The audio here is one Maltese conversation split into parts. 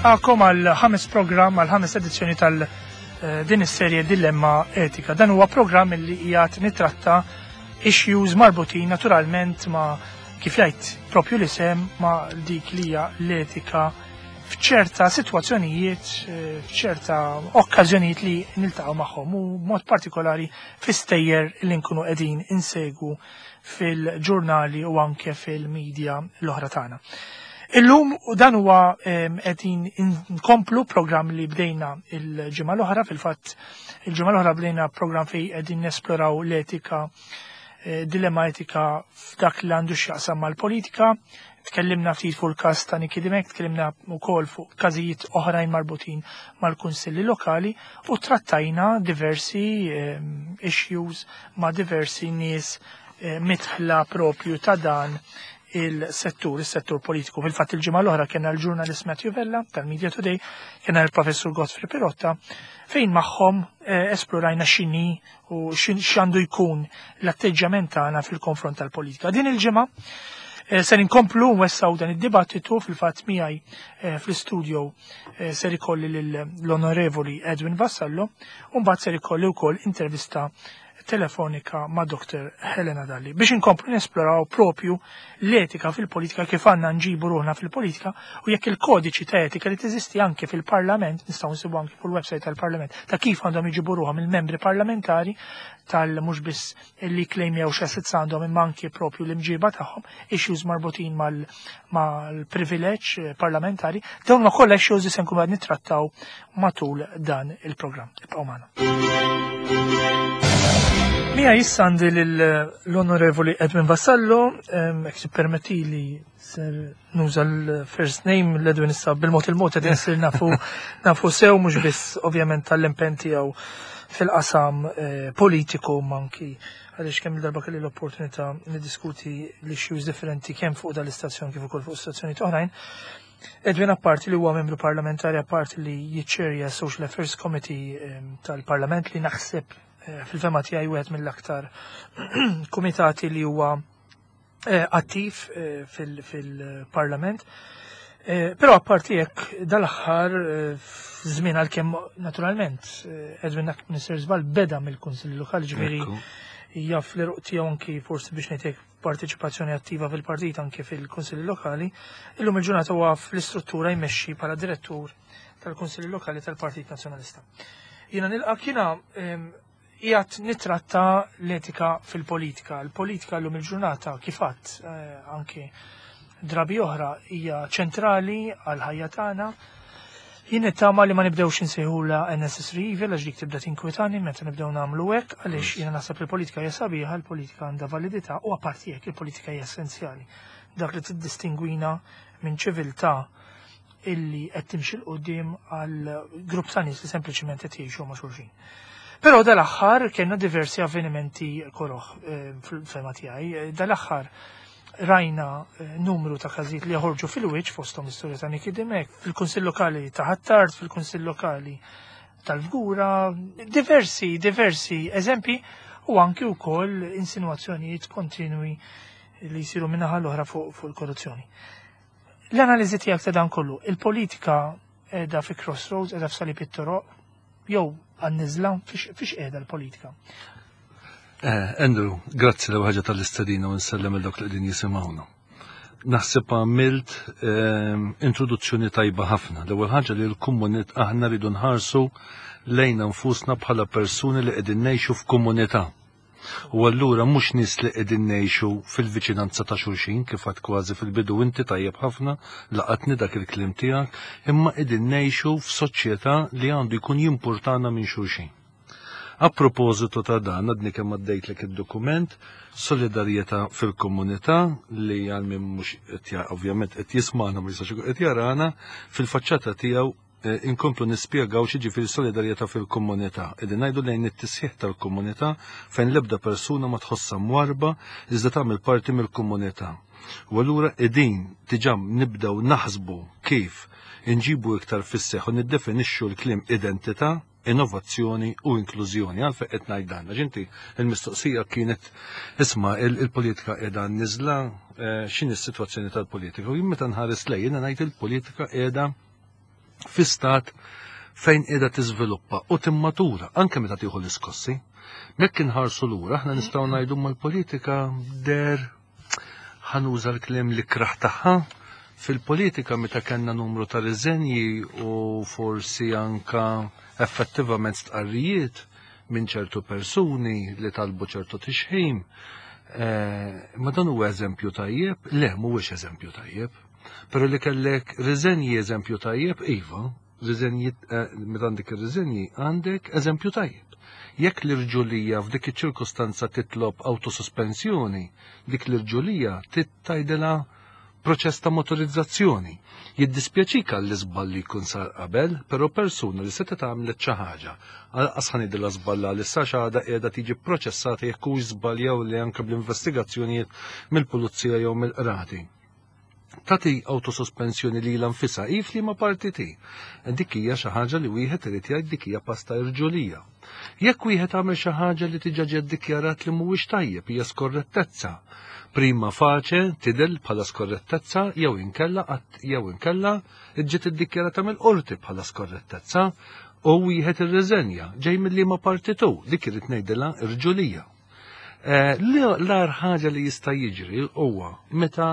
nilqakom għal ħames programm għal ħames edizzjoni tal eh, din is-serje Dilemma Etika. Dan huwa programm li qiegħed nitratta issues marbutin naturalment ma' kif jgħid propju l-isem ma' dik li hija l-etika f'ċerta sitwazzjonijiet, eh, f'ċerta okkażjonijiet li niltaqgħu magħhom u mod partikolari fi-stejjer li nkunu qegħdin insegwu fil-ġurnali u anke fil-medja l-oħra tagħna. Illum u dan huwa qegħdin nkomplu programm li bdejna il-ġimgħa l-oħra, fil-fatt il-ġimgħa l-oħra bdejna programm fejn qegħdin nesploraw l-etika eh, dilemma etika f'dak li għandu x'jaqsam mal-politika. Tkellimna ftit fuq il-każ ta' Niki Dimek, tkellimna wkoll fuq każijiet oħrajn marbutin mal-kunsilli lokali u trattajna diversi issues ma' diversi nies eh, mitħla propju ta' dan il-settur, il-settur politiku. Fil-fatt il-ġimgħa l-oħra kena l-ġurnalist Matthew Vella tal-Media Today, kena l-professur Godfrey Pirotta, fejn magħhom eh, esplorajna x'inhi u x'għandu jkun l-atteġġjament tagħna fil-konfront tal-politika. Din il-ġimgħa eh, ser inkomplu nwessaw dan id-dibattitu fil-fatt miegħi eh, fl-istudio ser ikolli l-Onorevoli Edwin Vassallo u mbagħad ser ikolli wkoll intervista telefonika ma' Dr. Helena Dalli biex inkomplu nesploraw propju l-etika fil-politika kif għandna nġibu ruħna fil-politika u jekk il-kodiċi ta' etika li teżisti anke fil-Parlament, nistgħu nsibu anke fuq il-website tal-Parlament, ta' kif għandhom iġibu ruħhom il-membri parlamentari tal mhux biss li klejmjaw x'assets għandhom imma anke propju l-imġiba tagħhom, issues marbutin mal-privileġġ eh, parlamentari, dawn ma kollha issues li se nkunu qed nittrattaw matul dan il-programm. Ibqgħu magħna. Mija issa għandi l-Onorevoli Edwin Vassallo, jekk tippermettili ser nuża l-first name l-Edwin issa bil-mod il-mod qed insir nafu nafu sew mhux biss ovvjament tal-impenn tiegħu fil-qasam eh, politiku manki għaliex kemm il-darba kelli l-opportunità niddiskuti l-issues differenti kemm fuq dal-istazzjon kif ukoll fuq stazzjonijiet oħrajn. Edwin apparti li huwa membru parlamentari apparti li jiċċerja Social Affairs Committee ehm, tal-Parlament li naħseb eh, fil-fema tiegħi wieħed mill-aktar kumitati li huwa eh, attiv eh, fil-Parlament. Però apparti hekk dal-aħħar żmien għalkemm naturalment Edwin Minister Żball beda mill-Kunsill Lokali ġifieri jaf l-eruq tiegħu anki forsi biex ngħidlek parteċipazzjoni attiva fil-partit anke fil-Kunsilli Lokali, illum il-ġurnata huwa fl-istruttura jmexxi bħala direttur tal-Kunsilli Lokali tal-Partit Nazzjonalista. Jiena nilqa' kiena qiegħed nitratta l-etika fil-politika. Il-politika llum il-ġurnata kif għadd eh, anke drabi oħra hija ċentrali għal ħajja tagħna. Jien nittama li ma nibdewx insejħula a necessary evil għax dik tibda tinkwitani meta nibdew nagħmlu hekk għaliex jiena naħseb li l-politika hija sabiħa, l-politika għandha validità u apparti hekk il-politika hija essenzjali. Dak li tiddistingwina minn ċiviltà illi qed timxi 'l quddiem għal grupp ta' nies li sempliċiment qed jgħixu ma' xulxin. Però dal-aħħar kellna diversi avvenimenti koroh eh, fil-fema tiegħi. Dal-aħħar rajna eh, numru ta' każijiet li joħorġu fil-wiċċ fosthom l-istorja ta' Niki Dimek, fil-Kunsill Lokali ta' Ħ'Attard, fil-Kunsill Lokali tal-Fgura, diversi, diversi eżempi u anki wkoll insinuazzjonijiet kontinwi li jsiru minnaħa l-oħra fuq fu il-korruzzjoni. L-analiżi tiegħek ta' dan kollu, il-politika qiegħda fi crossroads, qiegħda f'salib it-toroq, jew għan-niżla, fiex qiegħda l-politika? Eh, Andrew, grazzi l ħaġa tal-istedina u nsellem il dawk li qegħdin jisimgħuna. Naħseb għamilt ehm, introduzzjoni tajba ħafna. L-ewwel ħaġa li l-komunit aħna rridu nħarsu lejna nfusna bħala persuni li qegħdin ngħixu f'komunità. U allura mhux nies li qegħdin ngħixu fil-viċinanza ta' xulxin kif għad kważi fil-bidu inti tajjeb ħafna laqatni dak il-kliem tiegħek, imma qegħdin ngħixu f'soċjetà li għandu jkun jimpurtana minn xulxin. A propożitu ta' dan, għadni kemm għaddejtlek id-dokument, Solidarjetà fil-Komunità, li għal min mhux ovvjament qed jismagħna ma jistax ikun qed jarana, fil-faċċata tiegħu eh, inkomplu nispjegaw x'jiġifieri solidarjetà fil-komunità. Qegħdin ngħidu lejn it-tisħiħ tal-komunità fejn l-ebda persuna ma tħossha mwarba iżda tagħmel parti mill-komunità. U allura qegħdin diġà nibdew naħsbu kif inġibu iktar fis-seħħ u niddefinixxu l-kliem identità, innovazzjoni u inklużjoni. Għalfejn qed ngħid dan? Għax inti il-mistoqsija kienet isma' il-politika qiegħda niżla eh, x'inhi s-sitwazzjoni tal-politika. U jien meta nħares lejn jiena ngħid il-politika qiegħda fi stat fejn qiegħda tiżviluppa u timmatura anke meta tieħu l-iskossi. Mekk inħarsu lura aħna nistgħu ngħidu mal-politika der ħanuża l-kliem li kraħ tagħha fil-politika meta kellna numru ta' riżenji u forsi anka effettivament stqarrijiet minn ċertu persuni li talbu ċertu tixħim. Eh, ma dan huwa eżempju tajjeb? Le, mhuwiex eżempju tajjeb. Pero li kellek riżenji eżempju tajjeb, iva, riżenji, eh, meta għandek ir-riżenji għandek eżempju tajjeb. Jekk l-irġulija f'dik iċ-ċirkustanza titlob autosospensjoni, dik l-irġulija tittajdilha proċess ta' motorizzazzjoni. Jiddispjaċik għall-iżball li jkun sar qabel, però persuna li setgħet għamlet xi ħaġa, għalqas ħa ngħidilha żballa li sa xi qiegħda tiġi pproċessata jekk hux żball jew le anke bl-investigazzjonijiet mill-pulizija jew mill-qrati. Tagħti awtosospensjoni lilha nfisha hi f'liema partit hi. Dik hija xi ħaġa li wieħed irid jgħid dik hija pasta irġulija. Jekk wieħed għamel xi ħaġa li diġà ġiet dikjarat li mhuwiex tajjeb hija skorrettezza. Prima facie tidher bħala skorrettezza jew inkella jew inkella ġiet iddikjarata mill-qorti bħala skorrettezza u wieħed irriżenja ġej mill-liema partit hu, dik irid ngħidilha irġulija. Eh, l-ar ħaġa li jista' jiġri huwa meta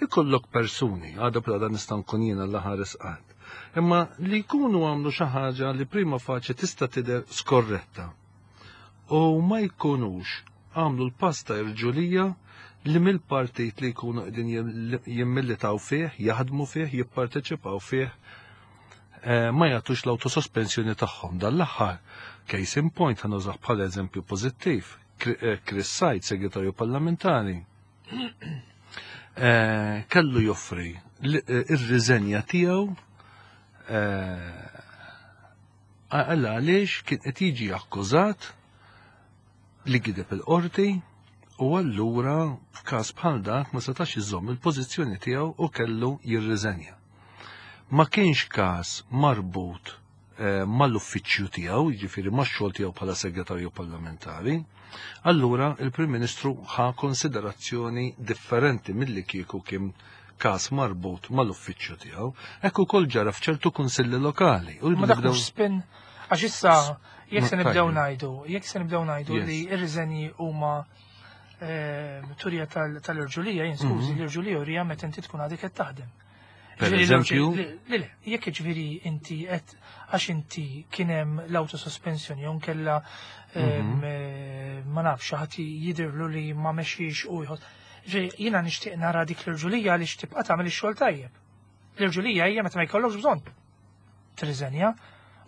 ikollok persuni, għada bla nista' nkun jiena l-ħares qatt, imma li jkunu għamlu xi ħaġa li prima faċi tista' tidher skorretta u ma jkunux għamlu l-pass ta' irġulija li mill-partit li jkunu qegħdin jimmilitaw fih, jaħdmu fih, jipparteċipaw fih, eh, ma jagħtux l-autosospensjoni tagħhom. Dan l-aħħar case in point ħa nużah bħala eżempju pożittiv. Eh, Chris Said, segretarju parlamentari, eh, kellu joffri ir-riżenja tiegħu għalla għaliex kien qed jiġi akkużat li gideb il-qorti u allura f'każ bħal dak ma setax iżomm il-pożizzjoni tiegħu u kellu jirriżenja. Ma kienx każ marbut eh, mal-uffiċċju tiegħu, jiġifieri max-xogħol tiegħu bħala segretarju parlamentari, allura il-Prim Ministru ħa konsiderazzjoni differenti milli kieku kien każ marbut mal-uffiċċju tiegħu. Hekk ukoll ġara f'ċertu kunsilli lokali. U Ma dak mhux spin għax issa jekk se nibdew ngħidu, jekk se nibdew ngħidu li r-riżenji huma eh, turija tal-irġulija, jien skużi, mhm. l-irġulija urija meta inti tkun għadek qed taħdem. Per eżempju? Le, le, jekk ġifieri inti qed għax inti kien hemm l-autosospensjoni jew kella mhm. eh, ma nafx ħadd jidhirlu li ma mexxix u jħoss. Ġifieri jiena nixtieq nara dik l-irġulija għaliex tibqa' tagħmel ix-xogħol tajjeb. L-irġulija hija meta ma jkollokx bżonn tirriżenja.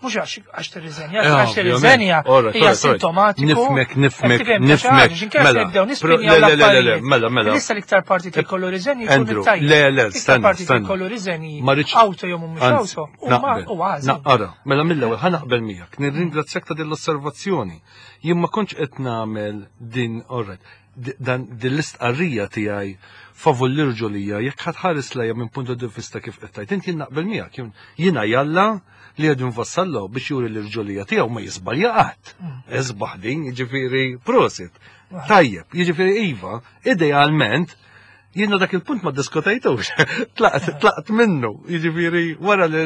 Mhux għax tirriżenja, eh, għax tirriżenja hija sintomatiku. Nifmek, nifmek, nifmek. Mela, le, mela, mela. Issa l-iktar parti jkollu riżenji jkun tajjeb. Le, le, stenna, stenna. Jkollu riżenji auto jew mhumiex auto. U għażel. Naqra, mela mill-ewwel ħa naqbel miegħek. Nirringrazzjak ta' din l-osservazzjoni. Jien ma kontx qed nagħmel din, alright dan din l-istqarrija tiegħi favur l-irġulija jekk ħadd ħares lejha minn punt di vista kif qed tgħid inti naqbel miegħek jiena jalla li Edwin Vassallo biex juri l-irġulija tiegħu ma jiżbalja qatt. Mm. Isbaħ din, jiġifieri prosit. Tajjeb, jiġifieri iva, idealment jiena dak il-punt ma diskutajtux, tlaqt, tlaqt minnu, jiġifieri wara li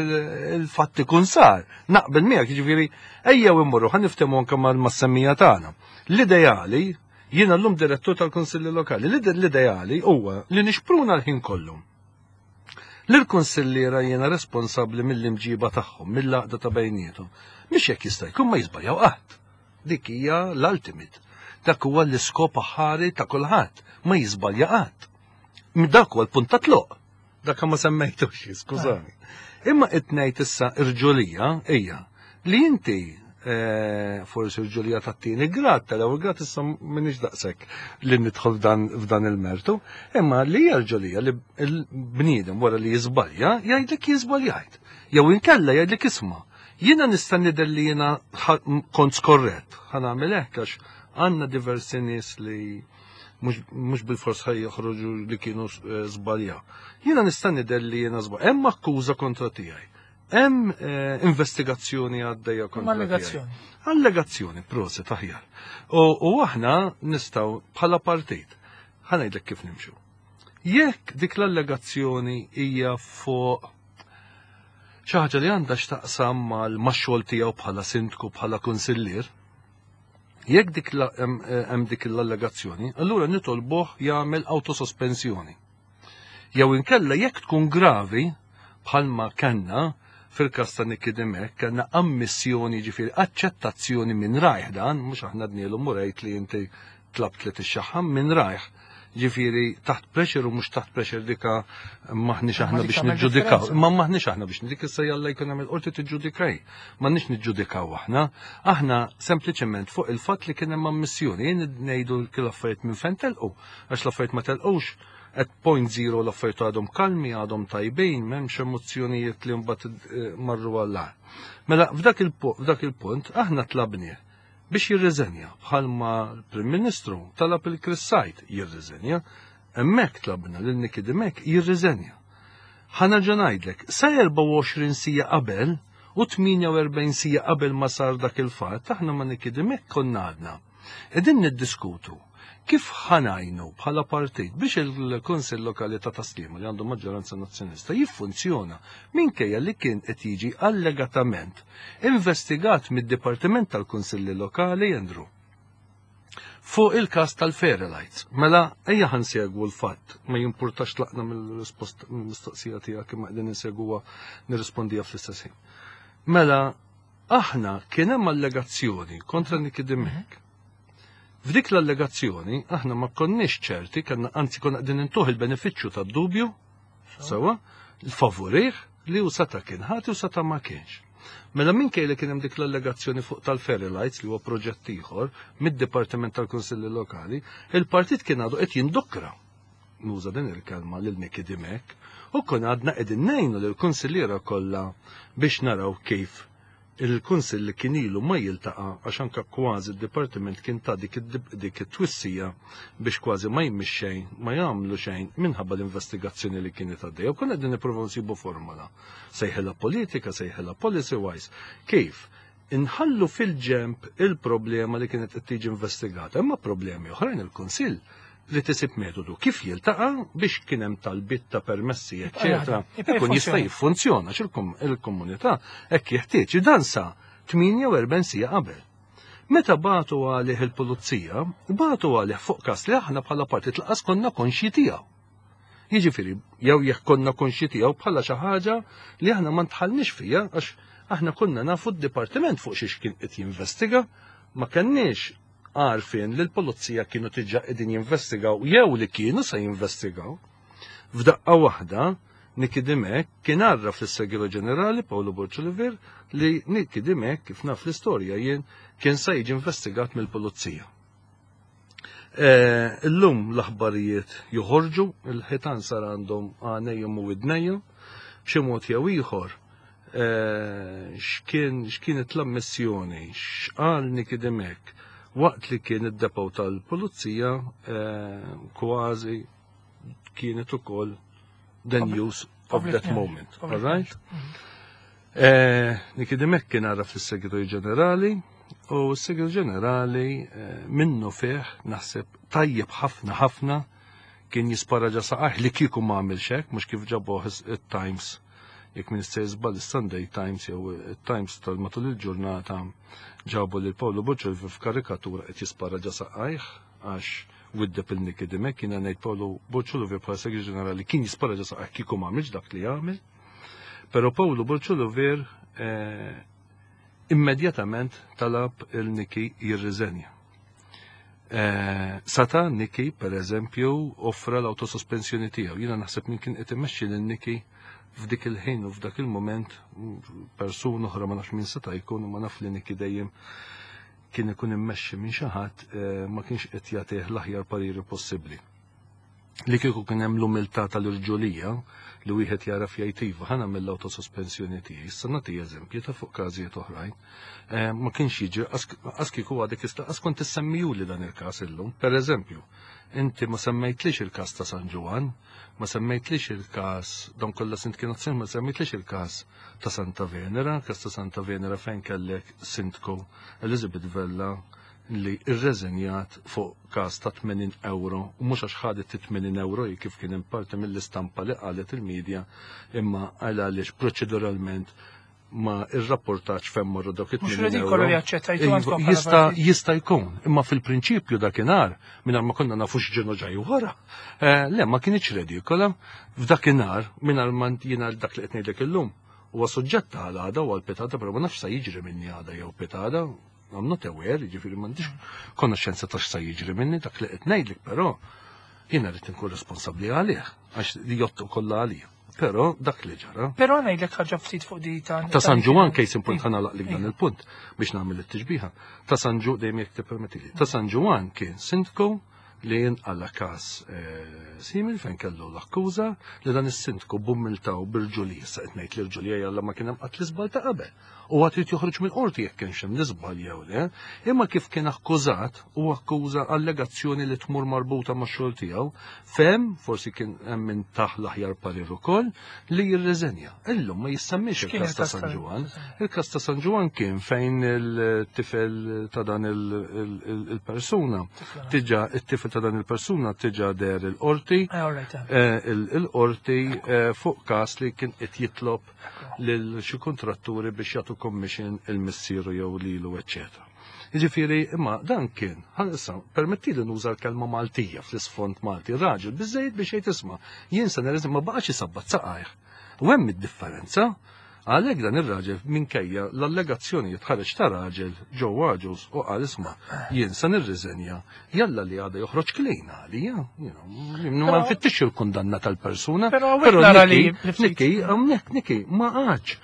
l-fatt ikun sar, naqbel miegħek, jiġifieri ejjew immorru ħa niftehmu anke mal-semmija tagħna. L-ideali Jiena llum direttur tal-Kunsilli Lokali. L-ideali huwa li nixpruna l-ħin kollu. L-kunsilliera jiena responsabbli mill-imġiba tagħhom, mill-għaqda ta' bejniethom. Mhix jekk jista' jkun ma jiżbaljaw qatt. Dik hija l-ultimate. Dak huwa l-iskop aħħari ta' kulħadd, ma jiżbalja qatt. Dak huwa l-punt ta' tluq. Dak ma semmejtux, skużani. Imma qed ngħid issa irġulija hija li inti eh, forsi irġulija tat-tieni grad, tal-ewwel grad issa m'iniex daqshekk li nidħol f'dan il-mertu, imma li hija rġulija li l-bniedem wara li jiżbalja jgħidlek jiżbaljajt. Jew inkella jgħidlek isma' jiena nista' nidher li jiena kont skorrett, ħa nagħmel hekk għax għandna diversi nies li mhux bil-fors ħaj joħroġu li kienu eh, żbalja. Jiena nista' nidher li jiena żbalja. Hemm akkuża kontra tiegħi. Hemm eh, investigazzjoni għaddejja kontra. Allegazzjoni. Allegazzjoni, proset aħjar. U aħna nistgħu bħala partit ħa ngħidlek kif nimxu. Jekk dik l-allegazzjoni hija fuq Xi ħaġa li għandha x'taqsam mal-xogħol tiegħu bħala sindku, bħala kunsillier, jekk dik hemm dik l-allegazzjoni, allura nitolbuh jagħmel autosospensjoni. Jew inkella jekk tkun gravi, bħalma kellna fil-każ ta' Nikki Dimech, kellna ammissjoni, ġifieri aċċettazzjoni minn rajh dan, mhux aħna dnielu murejt li inti tlabt li tixxaħħam minn rajh. Ġifieri taħt pressure u mhux taħt pressure dika maħniex aħna biex niġġudikaw. Ma maħniex aħna biex dik issa jalla jkun hemm il-qorti tiġġudikaj. M'għandniex niġġudikaw aħna. Aħna sempliċement fuq il-fatt li kien hemm ammissjoni, jien ngħidu l-affarijiet minn fejn telqu, għax l-affarijiet ma telqux at point zero, l-affarijiet għadhom kalmi, għadhom tajbin, m'hemmx emozzjonijiet li mbagħad marru għall-agħar. Mela f'dak il-punt aħna tlabnieh biex jirriżenja, bħalma l-Prim Ministru talab il-Chris Said jirriżenja, hemmhekk tlabna lil Nikki Dimech jirriżenja. Ħa nerġa' ngħidlek, sa 24 sija qabel u 48 sija qabel ma sar dak il-fatt, aħna ma' Nikki Dimech konna għadna qegħdin niddiskutu kif ħa ngħinu bħala partit biex il-Kunsill Lokali ta' Tas-Sliema li għandu maġġoranza nazzjonalista jiffunzjona minkejja li kien qed jiġi allegatament investigat mid-Dipartiment tal-Kunsilli Lokali, Andrew, fuq il-każ tal-Fairlights. Mela ejja ħa nsegwu l-fatt, ma jimpurtax tlaqna mill-risposta mill-mistoqsija tiegħek imma qegħdin insegwuha nirrispondija fl-istess ħin. Mela aħna kien hemm allegazzjoni kontra Nikki Dimech. F'dik l-allegazzjoni aħna ma konniex ċerti, kellna anzi konna qegħdin intuh il-benefiċċju tad-dubju, sewwa, l-favorih li hu seta' kien ħati u seta' ma kienx. Mela minkejja li kien hemm dik l-allegazzjoni fuq tal-Ferry Lights li huwa proġett ieħor mid-Dipartiment tal-Kunsilli Lokali, il-partit kien għadu qed jindukra, nuża din il-kelma, lil Nikki Dimech, u kien għadna qegħdin ngħinu lill-kunsilliera kollha biex naraw kif il-kunsill li kien ilu ma jiltaqa' għax anke kważi d-dipartiment kien ta' dik dik it-twissija biex kważi ma jmix xejn, ma jagħmlu xejn minħabba l-investigazzjoni li kienet għaddejja. U konna qegħdin nippruvaw nsibu formola. Sejħilha politika, sejħilha policy wise. Kif inħallu fil-ġemp il-problema li kienet qed tiġi investigata, imma problemi oħrajn il-Kunsill li tisib metodu kif jiltaqa' biex kien hemm talbiet ta' permessi, eċċetera, ikun jista' jiffunzjona il-komunità hekk jeħtieġ. Dan sa 48 sija qabel. Meta bagħtu għalih il-pulizija, bagħtu għalih fuq każ li aħna bħala partit laqas konna konxji tiegħu. Jiġifieri, jew jekk konna konxji tiegħu bħala xi ħaġa li aħna ma ntħallniex fija għax aħna konna nafu d-dipartiment fuq xiex kien qed jinvestiga, ma kenniex għarfien li l-pulizija kienu diġà qegħdin jinvestigaw jew li kienu se jinvestigaw. F'daqqa waħda, Nikki Dimech kien għarraf lis-Segretarju Ġenerali Paolo Borg Olivier li Nikki Dimech, kif naf l-istorja jien, kien se jiġi investigat mill-pulizija. Illum l-aħbarijiet joħorġu, il-ħitan sar għandhom għanejhom u widnejhom, b'xi mod jew ieħor x'kienet l-ammissjoni, x'qal Nikki Dimech waqt li kien id-depo tal-pulizija, kważi kienet ukoll the news of that moment. All right? Nikki Dimech kien għarraf lis-Segretarju Ġenerali u s-Segretarju Ġenerali minnu fih naħseb tajjeb ħafna ħafna kien jispara ġa saqajh li kieku ma għamilx hekk, mhux kif ġabuh it-Times, jekk min jista' jiżball is-Sunday Times jew it-Times tal-matul il-ġurnata ġabu lil Paolo Borg f'karikatura qed jispara ġa saqajh għax widdeb il-Nikki Dimech. Jiena ngħid Paolo Borg bħala Segretarju Ġenerali kien jispara ġa saqajh kieku ma għamilx dak li għamel. Però Paolo Borg immedjatament talab il-Nikki jirriżenja. Sata Nikki, per eżempju, offra l-autosospensjoni tiegħu. Jiena naħseb min kien qed imexxi lil Nikki f'dik il-ħin u f'dak il-moment persuna oħra, ma nafx min seta' jkun, ma naf li Nikki dejjem kien ikun immexxi minn xi ħadd, ma kienx qed jagħtih l-aħjar pariri possibbli. Li kieku kien hemm l-umiltà tal-irġulija li wieħed jara jgħid iva ħa nagħmel l-autosospensjoni tiegħi. Issa nagħti eżempju ta' fuq każijiet oħrajn. Ma kienx jiġri qas kieku għadek issa qas kont issemmijuli dan il-każ illum. Per eżempju, inti ma semmejtlix il-każ ta' San Ġwann, ma semmejtlix il-każ dawn kollha sindki nazzjonali, ma semmejtlix il-każ ta' Santa Venera, każ ta' Santa Venera fejn kellek sindku Elizabeth Vella. li rreżenjat fuq każ ta' 80 euro u mhux għax ħadet 80 euro hi kif kien hemm parti mill-istampa li qalet il-medja imma għal għaliex proċeduralment ma irrapportax fejn marru dawk it-80 Mhux redikolu li aċċettajtu Iva, għandkom bħala Jista' partit. jista' jkun, imma fil-prinċipju dakinhar mingħajr ma konna nafu x'ġenu ġej wara. Eh, Le, ma kienx redikola. F'dakinhar mingħajr ma jiena dak li qed ngħidlek illum huwa suġġett għal għada u għal pitada, però ma nafx sa jiġri minni għada jew pitada. I'm not aware, jiġifieri m'għandix konoxxenza ta' x'sa jiġri minni dak li qed ngħidlek, però jiena rrid inkun responsabbli għalih għax li jottu kollha għalija. Però dak li ġara. Però ngħidlek ħaġa ftit fuq di ta' Ta' San Ġwann case in point Iva. ħa nagħlaqlek dan il-punt biex nagħmel it-tixbiha. Ta' San Ġu dejjem jekk tippermettili. Ta' San Ġwann kien sindku li jinqala każ eh, simil fejn kellu l-akkuża li dan is-sindku b'umiltà u b'irġulija, issa qed ngħid l-irġulija jalla ma kien hemm qatt l-iżbal ta' qabel. U għad irid joħroġ mill-qorti jekk kienx hemm l-iżbal jew le, imma kif kien akkużat u akkuża allegazzjoni li tmur marbuta max-xogħol tiegħu, fem forsi kien hemm min taħ l-aħjar parir ukoll li jirriżenja. Illum ma jissemmix X'kien il-każ ta' il-każ San ta' Ġwann. Il-każ ta' San Ġwann kien fejn il-tifel ta' dan il-persuna tiġa it-tifel ta' dan il-persuna tiġa der il-qorti Eh, all right, eh. eh, il-qorti eh, fuq każ li kien qed jitlob lil xi kontratturi biex jagħtu commission il-missieru jew lilu, eċċetera. Jiġifieri, imma dan kien, ħa issa, permetti li nuża l-kelma Maltija fl-isfond Malti, raġel biżejjed biex jgħid isma' jien se nirriżenja ma baqax isabbat saqajh. U hemm id-differenza. Għalhekk dan ir-raġel minkejja l-allegazzjoni ħareġ ta' raġel Joe Agius u qal isma' jien se nirriżenja jalla li għada joħroġ clean għalija, ma nfittix il-kundanna tal-persuna. Però hawnhekk nara li Nikki, Nikki, hawnhekk Nikki ma qagħadx.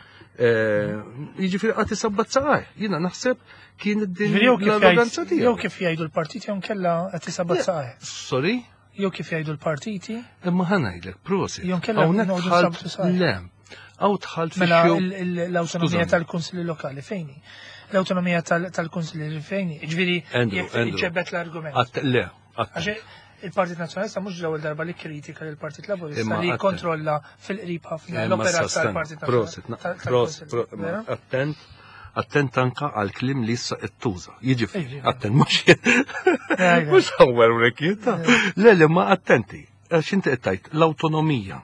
Jiġifieri qatt isabbat saqaj. Jiena naħseb kien din Ġifieri jew kif l-arroganza jgħid- jew tiegħu. kif jgħidu l-partiti jew nkella qed isabbat saqaj. Sorry? Jew kif jgħidu l-partiti, Imma ħa ngħidlek, prosit. Jew nkella Hawnhekk noqogħdu dħalt nsabtu saqaj. le. Hawn dħalt mela fi l-awtonomija Skużani. tal-kunsilli lokali fejni. L-awtonomija tal-kunsilli fejni. Ġifieri Andrew, jekk Andrew. iġġebbet l-argument. Le, att- Għax il-Partit Nazzjonalista mhux l-ewwel darba li kritika lill partit Laburista Imma li għatte. kontrolla fil-qrib ħafna Imma l-operat issa tal-Partit Prosit, Nazzjonalista. prosit, attent, attent anka għal kliem li issa qed tuża. Jiġifieri, Iġifieri. attent mhux mhux hawnhekk rekjita. Le, le, ma attenti. Għax inti qed tgħid l-awtonomija.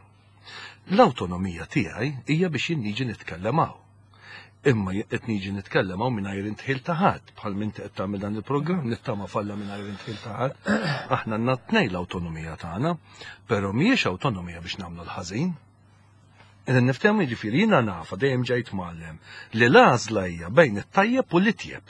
L-awtonomija tiegħi hija biex jien niġi nitkellem hawn. Imma qed niġi nitkellem hawn mingħajr intħil ta' ħadd, bħal minn qed tagħmel dan il-programm nittama falla mingħajr intħil ta' ħadd. Aħna għandna tnej l-awtonomija tagħna, però mhijiex awtonomija biex nagħmlu l-ħażin. Idan niftehmu jiġifieri jiena nafa dejjem ġejt mgħallem li l-għażla hija bejn it-tajjeb u l-itjeb.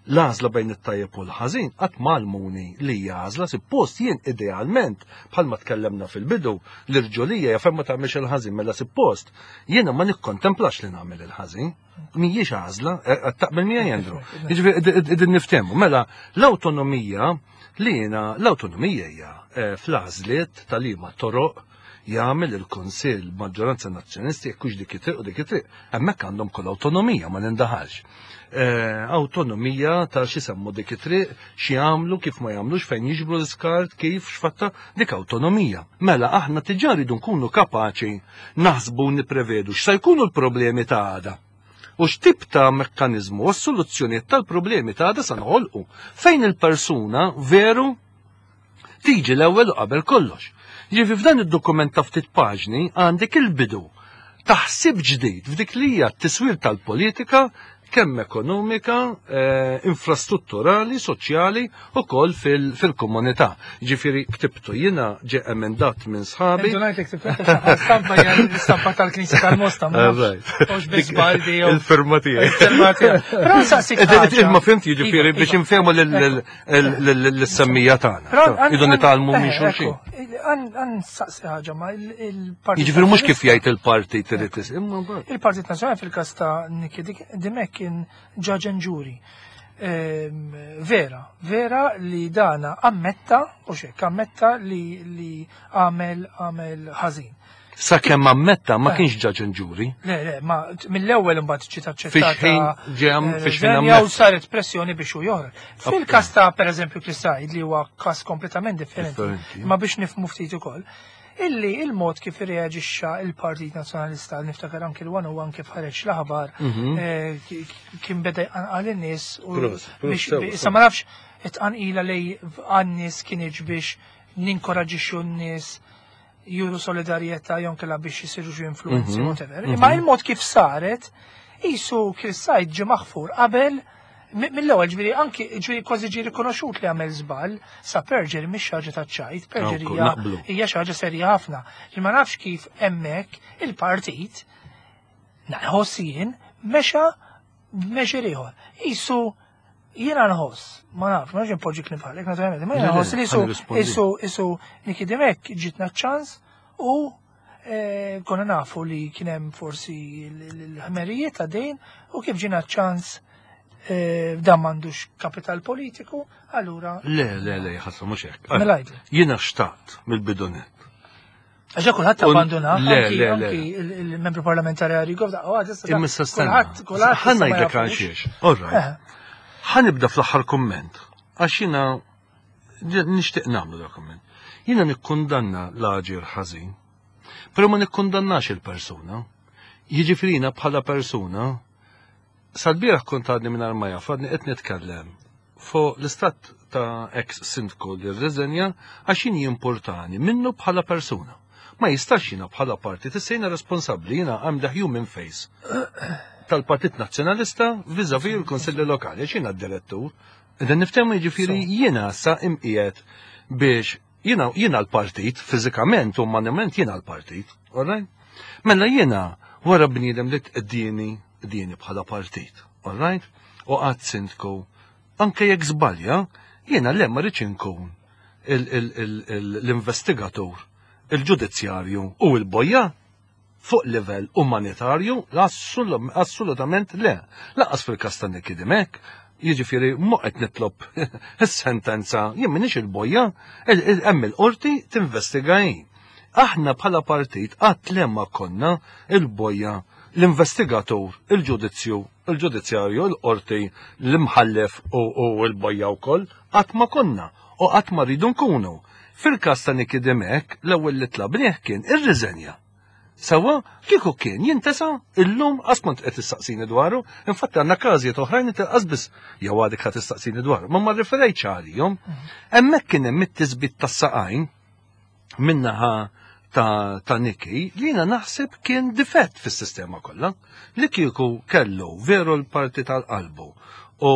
L-għażla bejn it-tajjeb u l-ħażin qatt m'għallmuni li hija għażla suppost jien idealment bħalma tkellemna fil-bidu l-irġulija jaf ma tagħmilx il-ħażin mela suppost jiena ma nikkontemplax li nagħmel il-ħażin. Mhijiex għażla, eh, taqbel miegħi Andrew. Jiġifieri qegħdin niftehmu. Mela l-awtonomija li jiena l-awtonomija hija eh, fl-għażliet tal-liema toroq jagħmel il-Kunsill maġġoranza nazzjonisti jekk hux dik it-triq u dik it-triq. Hemmhekk għandhom kull awtonomija ma nindaħalx. Eh, Awtonomija ta' xi semmu dik it-triq, xi jagħmlu, kif ma jagħmlux, fejn jiġbru l-iskart, kif x'fatta, dik awtonomija. Mela aħna diġà rridu nkunu kapaċi naħsbu u nipprevedu x'se jkunu l-problemi ta' għada. U x'tip ta' mekkaniżmu u s-soluzzjonijiet tal-problemi ta' għada sa noħolqu fejn il-persuna veru tiġi l-ewwel u qabel kollox. Ġifi f'dan id-dokument ta' ftit paġni għandek il-bidu taħsib ġdid f'dik li hija t-tiswir tal-politika kemm ekonomika, eh, infrastrutturali, soċjali u koll fil-komunità. Ġifieri ktibtu jiena ġe emendat minn sħabi. Intu ngħidlek tibqa' stampa hija l-istampa tal-Knisja tal-Mosta, ma nafx. Mhux biss baldi jew Il-firma tiegħi. il-firma tiegħek. Però nsaqsik ħaġa. Imma fimt jiġifieri Iva, biex iva. infehmu l-semmija tagħna. Però Idu nitgħallmu minn xulxin. Għan saqsi ħaġa ma il-Partit Jiġifieri mhux kif Nazzjonalista- jgħid il-partit irid is- imma mbagħad. Il-Partit Nazzjonali fil-każ ta' Nikki Dimech kien judge and jury. Vera, vera li dana ammetta, u xek, ammetta li għamel għamel ħażin. Sakemm ammetta ma Eh. kienx judge and jury. Le, le, ma mill-ewwel imbagħad ġiet aċċettata. Fix-ħin ġem, fix-ħin riżenja u ammetta. saret pressjoni biex hu joħroġ. Fil-każ ta' pereżempju Chris Said li huwa każ kompletament differenti, Differenti. ma biex nifhmu ftit ukoll. Illi il-mod kif irreaġixxa il-Partit Nazzjonalista, niftakar anki l-101 kif ħareġ l-aħbar, kien beda jqanqal in-nies u issa ma nafx it-tqanqila lej għan-nies kienx biex ninkoraġixxu n-nies juru solidarjetà jew inkella biex isiru xi influenzi, whatever. Imma il-mod kif saret, qisu Chris Said ġie maħfur qabel mill-ewwel, ġifieri anki ġifieri kważi ġie rikonoxxut li għamel żball, sa perjury mhix xi ħaġa taċ-ċajt, perjury hija xi ħaġa serja ħafna. Li ma nafx kif hemmhekk il-partit nħoss jien mexa b'measure ieħor. Qisu jiena nħoss, ma nafx, ma nafx inpoġġi kliem bħalek, naturalment, ma jiena nħoss li qisu qisu Nikki Dimech ġitna ċans u konna nafu li kien hemm forsi l-ħmerijiet ta' dejn u kif ġina ċans dan m'għandux kapital politiku, allura. Le, le, le, ħasra mhux hekk. Mela għidli. Jiena xtaqt mill-bidunet. Għaxa kulħadd abbanduna, anki il-membru parlamentari Arrigo, Imma issa stenna. Ħa ngħidlek għal xiex. All right. Ħa nibda fl-aħħar kumment. Għax jiena nixtieq nagħmlu dak kumment. Jiena nikkundanna l-aġir ħażin, però ma nikkundannax il-persuna. Jiġifieri jiena bħala persuna sal-bieraħ kont għadni mingħajr ma jaf, għadni qed nitkellem fuq l-istat ta' ex sindku li rriżenja għax jien jimpurtani minnu bħala persuna. Ma jistax jiena bħala partit, issa jiena responsabbli, jiena I'm the human face tal-Partit Nazzjonalista vis-a-vis il-Kunsilli Lokali, għax jiena d-direttur. Qegħdin niftehmu jiġifieri jiena sa imqiegħed biex jiena jiena l-partit, fiżikament u umanament jiena l-partit, all right? Mela jiena wara bniedem li tqeddini qdieni bħala partit, all right? U qatt sindku, anke jekk żbalja, jiena le ma rridx inkun l-investigatur, il-ġudizzjarju u l-bojja fuq livell umanitarju, assolutament le. Lanqas fil-każ ta' Nikki Dimech, jiġifieri mhu qed nitlob is-sentenza, jien m'iniex il-bojja, hemm il-qorti tinvestiga hi. Aħna bħala partit qatt le ma konna il-bojja, l-investigatur, il-ġudizzju, il-ġudizzjarju, il-qorti, l-imħallef u l-bojja wkoll, qatt ma konna u qatt ma rridu nkunu. Fil-każ ta' Nikki Dimech, l-ewwel li tlabnieh kien irriżenja. Sewwa, kieku kien jintesa illum qas kont qed tistaqsini dwaru, infatti għandna każijiet oħrajn inti qas biss jew għadek ħa tistaqsini dwaru, ma ma rriferejtx għalihom. Hemmhekk kien hemm it-tisbit tas-saqajn min-naħa ta', ta Nikki li jiena naħseb kien difett fis-sistema kollha. Li kieku kellu veru l-parti tal-qalbu u,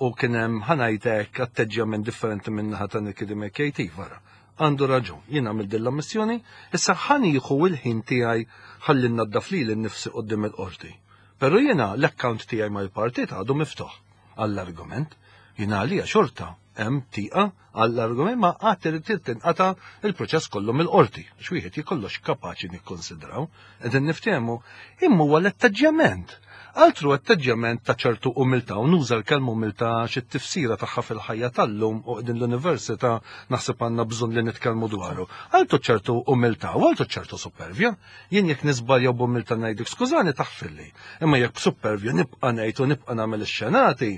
u kien hemm ħa ngħidlek atteġġjament differenti min-naħa ta' Nikki Dimech vara. Għandu raġun, jien għamilt din l-ammissjoni, issa ħa nieħu l-ħin tiegħi ħalli nnaddaf lili nnifsi quddiem il-qorti. Però jiena l-account tiegħi mal-partit għadu miftuħ għall-argument. Jiena għalija xorta hemm tieqa għall-argument ma għad irid tinqata' il-proċess kollu mill-qorti, għax wieħed jikollox kapaċi nikkonsidraw, qegħdin niftehmu, imma huwa l-atteġġjament. Altru atteġġjament ta' ċertu umiltà, u nuża l-kelma umiltà għax it-tifsira tagħha fil-ħajja tal-lum u qegħdin l-università naħseb għandna bżonn li nitkellmu dwaru. Altru ċertu umiltà u altru ċertu supervja. Jien jekk niżbalja b'umiltà ngħidlek skużani taħfirli, imma jekk b'supervja nibqa' ngħid u nibqa' nagħmel ix-xenati,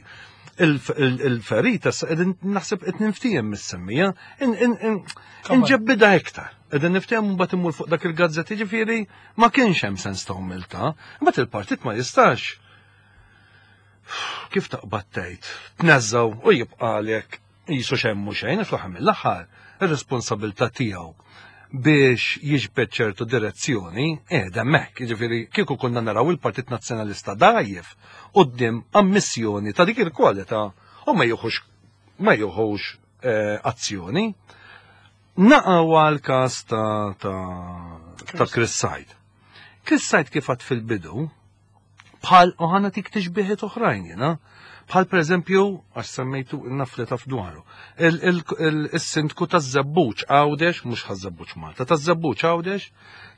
il-ferita qegħdin naħseb qed ninftiehem mis-semmija, inġebbidha iktar. Qegħdin niftehmu mbagħad immur fuq dak il-gazzetti ġifieri ma kienx hemm sens ta' umiltà. Imbagħad il-partit ma jistax kif taqbad tgħid, tneżżgħu u jibqalek qisu xejn mhu xejn, fl-aħħar mill-aħħar ir-responsabilità tiegħu biex jiġbed ċertu direzzjoni qiegħda hemmhekk. Jiġifieri kieku konna naraw il-Partit Nazzjonalista dgħajjef quddiem ammissjoni ta' dik il-kwalità u ma jieħux ma jieħux eh, azzjoni. Naqgħu għal każ ta' ta' Chris Said. Chris Said kif għad fil-bidu, bħal u ħana tik tixbiħiet oħrajn jena, bħal per eżempju, għax semmejtu naf li taf dwaru, il-sindku ta' Żebbuġ Għawdex, mhux ħaż-Żebbuġ Malta, ta' Żebbuġ Għawdex,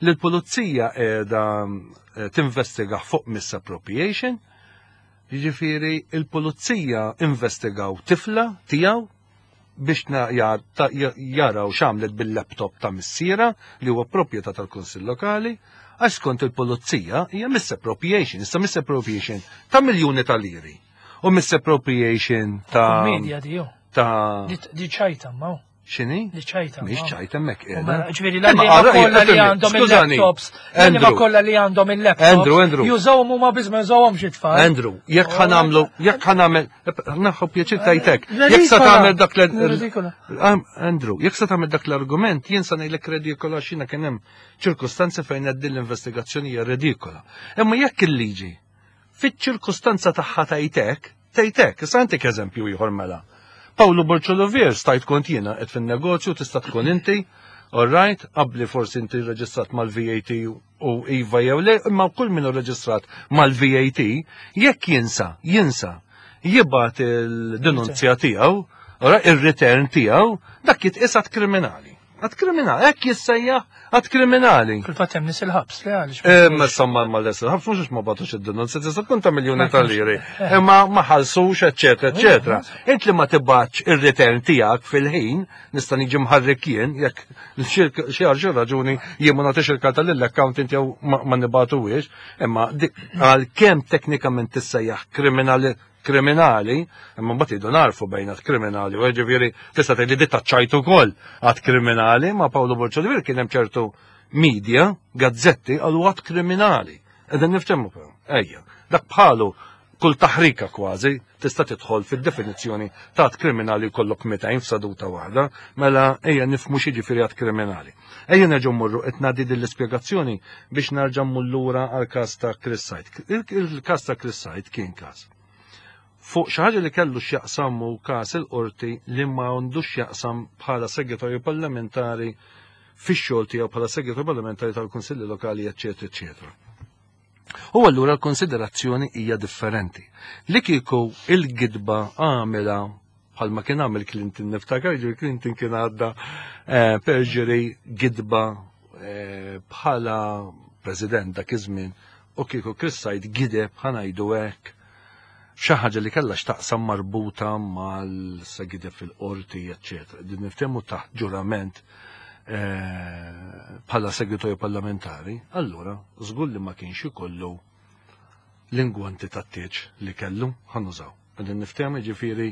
li l-pulizija qiegħda eh, tinvestiga fuq misappropriation, jiġifieri il-pulizija investigaw tifla tiegħu biex jaraw x'għamlet bil-laptop ta' missiera li huwa proprjetà tal-Kunsill Lokali, għax skont il-pulizija hija misappropriation, issa misappropriation ta' miljuni ta' liri. U misappropriation ta' Media di Ta' Di ċajta ma. X'inhi? Li ċajta. Mhix ċajta hemmhekk qiegħda. Mela, ġifieri l-għalliema kollha li għandhom il-laptops, l-għalliema kollha li għandhom il-laptops. Andrew, Andrew. Jużawhom huma biss ma jużawhomx it-tfal. Andrew, jekk ħa nagħmlu, jekk ħa nagħmel, naħu pjaċir tajtek. Jekk sa tagħmel dak l Andrew, jekk sa tagħmel dak l-argument, jien sa ngħidlek redikola x'jiena kien hemm ċirkustanzi fejn qed din l-investigazzjoni hija redikola. Imma jekk il-liġi fiċ-ċirkustanza tagħha tajtek, tgħid hekk, issa ntik eżempju ieħor mela. Pawlu Borg Olivier stajt kont jiena qed fin-negozju tista' tkun inti, all right, qabli forsi inti reġistrat mal-VAT u iva jew le, imma kull min hu reġistrat mal-VAT, jekk jinsa, jinsa, jibgħat il-denunzja tiegħu, ir-return tiegħu, dak jitqies att kriminali. Att kriminali, hekk jissejjaħ att kriminali. Fil-fatt hemm nies il-ħabs, le għaliex. Imma insomma ma les il-ħabs mhux ma bagħtux id-denunzja tista' tkun ta' miljuni ta' liri. Imma ma ħallsux, eċetera, eċetera. Int li ma tibgħatx ir-return tiegħek fil-ħin, nista' niġi mħarrek jien jekk xi għal xi raġuni jien ma nagħtix il-karta lill-accountant jew ma nibgħatuhiex, imma għalkemm teknikament tissejjaħ kriminali kriminali, imma mbagħad jridu narfu bejn att kriminali, u ġifieri tista' tgħid li di taċċajt ukoll att kriminali, ma Pawlu Borg Olivier kien hemm ċertu media, gazzetti qalu att kriminali. Qegħdin niftehmu però. Ejja, dak bħalu kull taħrika kważi tista' tidħol fid-definizzjoni ta' att kriminali jkollok 200 f'seduta waħda, mela ejja nifhmu x'jiġifieri att kriminali. Ejja nerġgħu mmorru qed ngħaddi din l-ispjegazzjoni biex nerġa' mmur lura għall-każ ta' Chris Said. Il-każ ta' Chris Said kien każ fuq xi ħaġa li kellu x'jaqsam u każ il-qorti li ma għandux x'jaqsam bħala segretarju parlamentari fix-xogħol tiegħu bħala segretarju parlamentari tal-Kunsilli Lokali, eċċetera, eċċetera. U allura l-konsiderazzjoni hija differenti. Li kieku il-gidba għamela bħalma kien għamel Clinton niftakar, ġifieri Clinton kien għadda eh, perjury gidba eh, bħala president dak iż-żmien u kieku Chris Said gideb ħanajdu hekk xi ħaġa li kellha x'taqsam marbuta mal gideb fil-qorti, eċċetera. Din niftehmu taħt ġurament eh, bħala segretarju parlamentari, allura żgur li ma kienx ikollu l-ingwanti tat-tieġ li kellu ħanużaw. Qegħdin niftehmu jiġifieri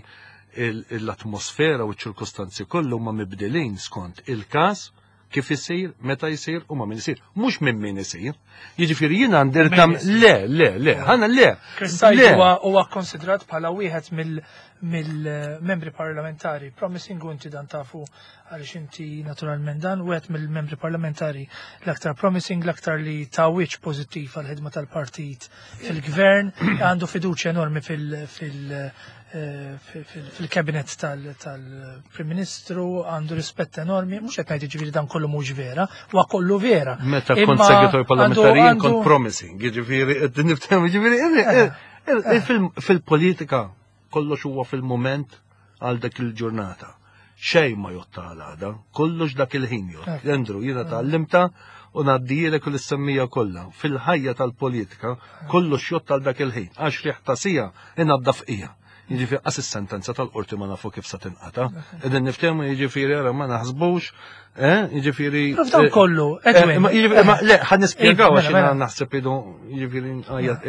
l-atmosfera u ċ-ċirkustanzi kollu huma mibdilin skont il-każ kif isir, meta jsir u ma' min isir. Mhux minn min isir. Jiġifieri jiena għandi le, le, le, ħana le. Chris Said huwa konsidrat bħala wieħed mill-membri parlamentari. Promising u inti dan tafu għaliex inti naturalment dan wieħed mill-membri parlamentari l-aktar promising, l-aktar li ta' wiċċ pożittiv għall-ħidma tal-partit fil-gvern, għandu fiduċja enormi fil-kabinet tal-Prim Ministru, għandu rispett enormi, mhux qed ngħid jiġifieri dan kollu mhux vera, huwa kollu vera. Meta kont segretarju parlamentari jien kont promising, jiġifieri qed niftehmu jiġifieri fil-politika kollox huwa fil-mument għal dak il-ġurnata. Xejn ma jotta għal għada, kollox dak il-ħin jott. Andrew, jiena tgħallimta u ngħaddijilek u l-semmija kollha. Fil-ħajja tal-politika, kollox jott għal dak il-ħin. Għax riħ ta' sija inaddaf qija. Jiġifieri qas is-sentenza tal-qorti ma nafu kif sa tinqata. Qegħdin niftehmu jiġifieri ara ma naħsbux, eh, jiġifieri. Dan kollu, Edwin. Ma le, ħa nispjegaw għax jiena naħseb idu jiġifieri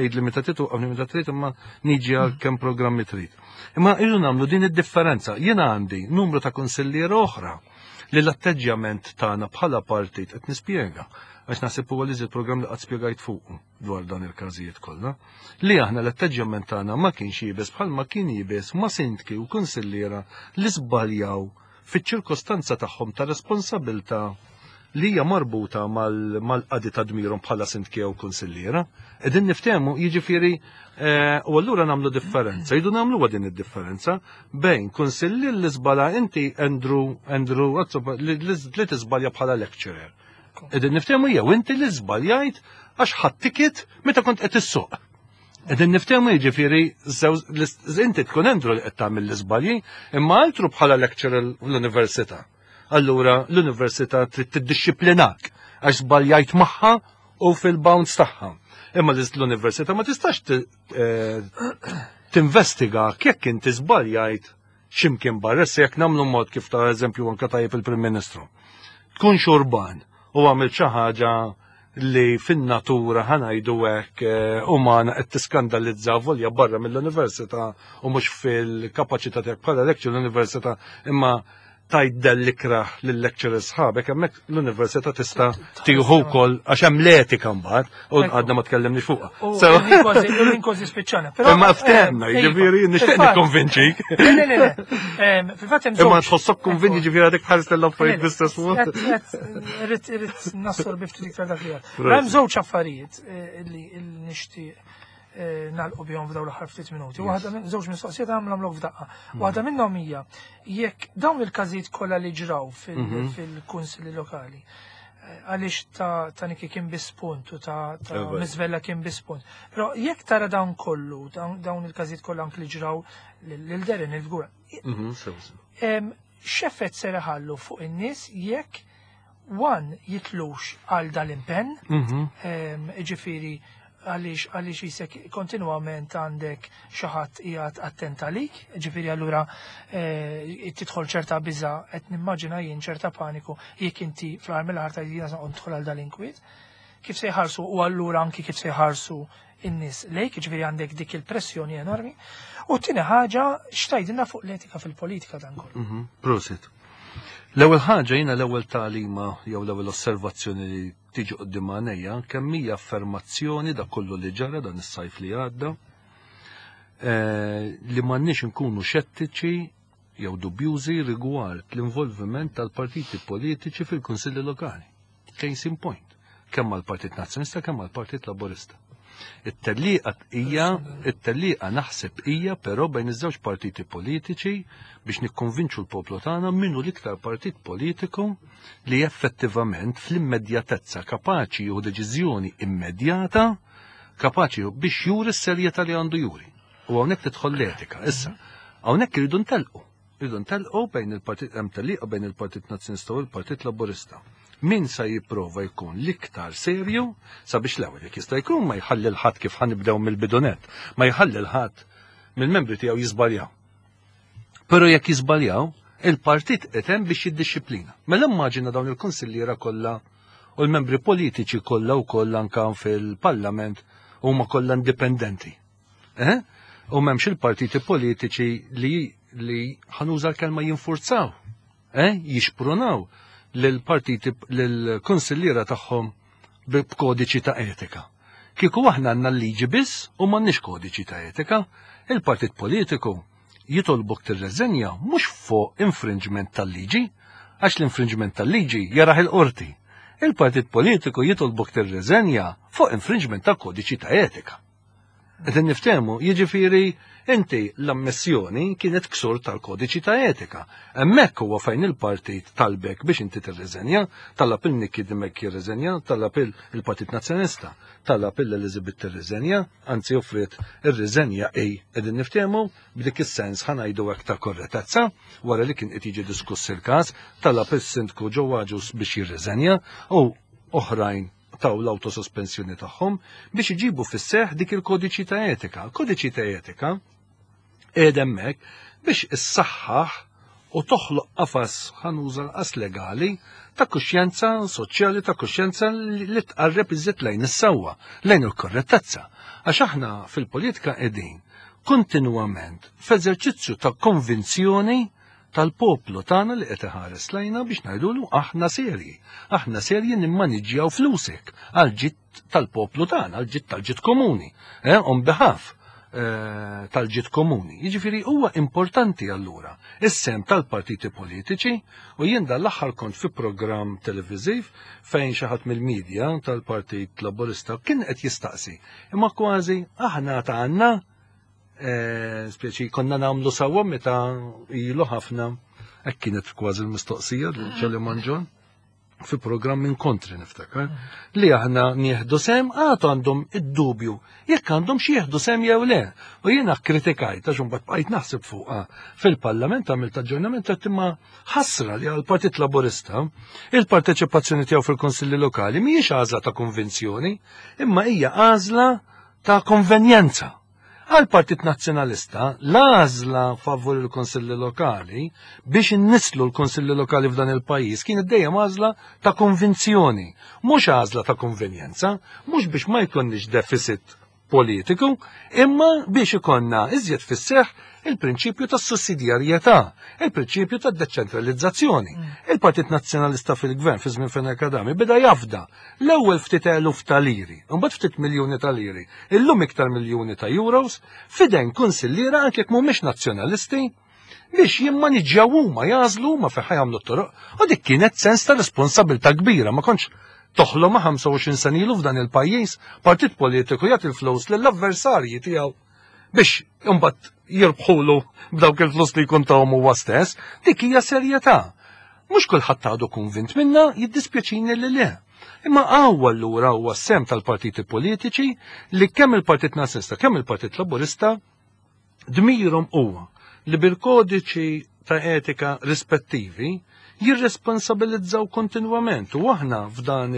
għid li meta titu għamli meta trid imma niġi għal kemm programmi trid. Imma irridu nagħmlu din id-differenza. Jiena għandi numru ta' kunsilliera oħra li l-atteġġjament tagħna bħala partit qed nispjega għax naħseb huwa li programm li qatt spjegajt fuqu dwar dan il-każijiet kollha, li aħna l-atteġġjament tagħna ma kienx iebes bħalma kien iebes ma' sindki u kunsilliera li żbaljaw fiċ-ċirkostanza tagħhom ta' responsabilità li hija marbuta mal-qadi ta' dmirhom bħala sindki jew kunsilliera. Qegħdin niftehmu jiġifieri eh, u allura nagħmlu differenza. Jridu nagħmluha din id-differenza bejn kunsillier li żbala inti Andrew Andrew li tiżbalja bħala lecturer. Qegħdin niftehmu jew inti li żbaljajt għax ħadd ticket meta kont qed issuq. Qegħdin niftehmu jiġifieri inti tkun Andrew li qed tagħmel l-iżbalji, imma altru bħala lecturer l-università. Allura l-università trid tiddixxiplinak għax żbaljajt magħha u fil-bounds tagħha. Imma l-università ma tistax eh, tinvestiga jekk inti żbaljajt x'imkien barra, issa jekk nagħmlu mod kif ta' eżempju anke tajjeb il-Prim Ministru. Tkun xurban u għamil xi ħaġa li fin-natura ħanajdu hekk eh, umana qed tiskandalizza volja barra mill-università u mhux fil-kapaċità tiegħek bħala lecturer l-università imma Tajt dell-ikrah lill-lecturers sħabek, hemmhekk l-università tista' tieħu wkoll għax hemm l-etika mbagħad u għadna ma tkellimniex fuqha. U kważi spiċċana. Imma ftehmna, eh, jiġifieri iva. nixtieq nikkonvinċik. Le, le, le. Fil-fatt hemm Imma tħossok konvinċi jiġifieri għadek tħares l-affarijiet bl-istess mod. Irrid nassorbi ftit iktar dak li Hemm żewġ affarijiet eh, li nixtieq Eh, nagħlqu bihom f'dawn l-aħħar ftit minuti. Waħda minn żewġ mistoqsijiet għamlhom f'daqqa. Hmm. Waħda minnhom hija jekk dawn il-każijiet kollha li ġraw mhm. fil-kunsilli lokali eh, għaliex ta' ta' Niki kien biss punt u ta' Mizvella kien biss punt. Però jekk tara dawn kollu, dawn il-każijiet kollha anki li ġraw lil Derin il-Fgura. Mhm, X'effett ser iħallu fuq in-nies jekk one jitlux għal dal-impenn, mhm. ġifiri għaliex għaliex jisek kontinwament għandek xi ħadd qiegħed attent għalik, ġifieri allura eh, tidħol ċerta biża qed nimmaġina jien ċerta paniku jekk inti fl-aħħar mill-aħħar tgħid jiena nidħol għal dal-inkwiet. Kif se jħarsu u allura anki kif se jħarsu in-nies lejk, ġifieri għandek dik il-pressjoni enormi. U t-tieni ħaġa x'tgħidilna fuq l-etika fil-politika dan kollu. Mhm, prosit. L-ewwel ħaġa jiena l-ewwel tagħlima jew l-ewwel osservazzjoni li tiġi quddiem għajnejja kemm hija affermazzjoni dak kollu li ġara dan is-sajf li għadda eh, li m'għandniex inkunu xettiċi jew dubjużi rigward l-involviment tal-partiti politiċi fil-kunsilli lokali. Case in point, kemm għall-Partit Nazzjonalista kemm għall-Partit Laburista. It-tellieqa hija, it-tellieqa naħseb hija però bejn iż-żewġ partiti politiċi biex nikkonvinċu l-poplu tagħna min hu l-iktar partit politiku li effettivament fl-immedjatezza kapaċi jieħu deċiżjoni immedjata kapaċi biex juri s-serjetà li għandu juri. U hawnhekk tidħol l-etika. Issa, hawnhekk irridu ntelqu. Irridu ntelqu bejn il-partit hemm tellieqa bejn il-Partit Nazzjonista u l-Partit Laburista. Min sa jipprova jkun l-iktar serju sabiex l-ewwel jekk jista' jkun ma jħalli l-ħadd kif ħanibdew mill-bidunet, ma jħalli l-ħadd mill-membri tiegħu jiżbaljaw. Però jekk jiżbaljaw, il-partit qed hemm biex jiddixxiplina. Mela immaġina dawn il-kunsilliera kollha u l-membri politiċi kollha wkoll anke fil-Parlament huma kollha indipendenti. Eh? U m'hemmx il-partiti politiċi li li ħanuża l-kelma jinfurzaw, eh? jixprunaw lill-partiti lill-kunsilliera tagħhom b'kodiċi ta' etika. Kieku aħna għandna l-liġi biss u m'għandniex kodiċi ta' etika, il-partit politiku jitolbok tirreżenja mhux fuq infringement tal-liġi, għax l-infringement tal-liġi jarah il-qorti. Il-partit politiku jitolbok tirreżenja fuq infringement tal-kodiċi ta' etika. Qed niftehmu, jiġifieri inti l-ammissjoni kienet ksur tal-kodiċi ta' etika. Hemmhekk huwa fejn il-partit talbek biex inti tirriżenja, talab il Nikki Dimech jirriżenja, talab il-Partit Nazzjonalista, talab il Elizabeth tirriżenja, anzi offriet ir-riżenja hi qegħdin niftehmu b'dik is-sens ħa ngħidu hekk ta' korretezza wara li kien qed jiġi diskuss il-każ, talab is-Sindku Joe Agius biex jirriżenja u oħrajn taw l-awtosospensjoni tagħhom biex iġibu fis-seħ dik il-kodiċi ta' etika. Kodiċi ta' etika qiegħed hemmhekk biex issaħħaħ u toħloq qafas ħanuża l-qas legali ta' kuxjenza soċjali ta' kuxjenza li tqarreb iżjed lejn is-sewwa, lejn il-korrettezza. Għax aħna fil-politika qegħdin kontinwament f'eżerċizzju ta' konvinzjoni tal-poplu tagħna li qed iħares lejna biex ngħidulu aħna serji. Aħna serji nimmaniġġjaw flusek għal ġid tal-poplu tagħna, għal ġid tal-ġid komuni, eh, on behalf eh, tal-ġid komuni. Jiġifieri huwa importanti allura is-sem tal-partiti politiċi u jien dal-aħħar kont fi programm televiżiv fejn xi ħadd mill-medja tal-Partit Laburista kien qed jistaqsi imma kważi aħna ta' għandna Eh, speċi konna nagħmlu sewwa meta ilu ħafna hekk kienet kważi l-mistoqsija li ċali Manġon fi programm inkontri niftakar li aħna nieħdu sem għadu għandhom id-dubju jekk għandhom xi jieħdu sem jew le. U jiena kritikajt għax imbagħad bqajt naħseb fuqha fil-Parlament għamilt aġġornament qed imma ħasra li għall-Partit Laburista il-parteċipazzjoni tiegħu fil-Konsilli Lokali mhijiex għażla ta' konvinzjoni, imma hija għażla ta' konvenjenza. Għall-Partit Nazzjonalista, l-għażla favur il-Kunsilli Lokali biex innislu l-Kunsilli Lokali f'dan il-pajjiż kienet dejjem għażla ta' konvinzjoni, mhux għażla ta' konvenjenza, mhux biex ma jkollniex deficit. politiku, imma biex ikollna iżjed fis-seħħ il-prinċipju tas-sussidjarjetà, il-prinċipju tad-deċentralizzazzjoni. Il-Partit Nazzjonalista fil-Gvern fi żmien Fenech Adami beda jafda l-ewwel ftit eluf ta' liri, imbagħad ftit miljuni ta' liri, illum iktar miljuni ta' euros, f'idejn kunsilliera anke jekk mhumiex nazzjonalisti, biex jimmaniġġjaw huma jagħżlu huma fejn ħa jagħmlu t-toroq. U dik kienet sens ta' responsabilità kbira, ma kontx toħlom ma' 25 sena ilu f'dan il-pajjiż, partit politiku jagħti l-flus lill-avversarji tiegħu biex imbagħad jirbħulu b'dawk il-flus li jkun tahom huwa stess, dik hija serjetà. Mhux kulħadd għadu konvint minna, jiddispjaċini li le. Imma hawn allura huwa s-sehem tal-partiti politiċi li kemm il-Partit Nazzjonalista kemm il-Partit Laburista dmirhom huwa li bil-kodiċi ta' etika rispettivi jirresponsabilizzaw kontinwament u aħna f'dan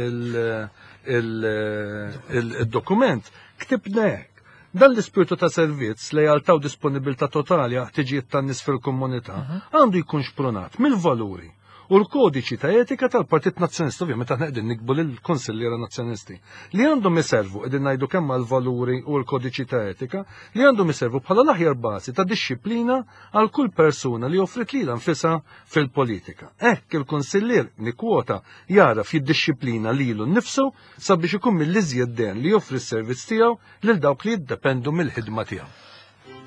il-dokument ktibna hekk. Dan l-ispirtu ta' servizz, lealtà u disponibilità totali għal ħtiġijiet tan-nies fil-komunità għandu jkun xprunat mill-valuri u l-kodiċi ta' etika tal-Partit Nazzjonalista, ovvjament aħna qegħdin niktbu lill-Kunsilliera Nazzjonalisti, li għandhom iservu, qegħdin ngħidu kemm għall-valuri u l-kodiċi ta' etika, li għandhom iservu bħala l-aħjar bażi ta' dixxiplina għal kull persuna li offrit lilha nfisha fil-politika. Hekk il-kunsillier, nikkwota, jagħraf jiddixxiplina lilu nnifsu sabiex ikun mill-iżjed den li joffri s-servizz tiegħu lil dawk li jiddependu mill-ħidma tiegħu.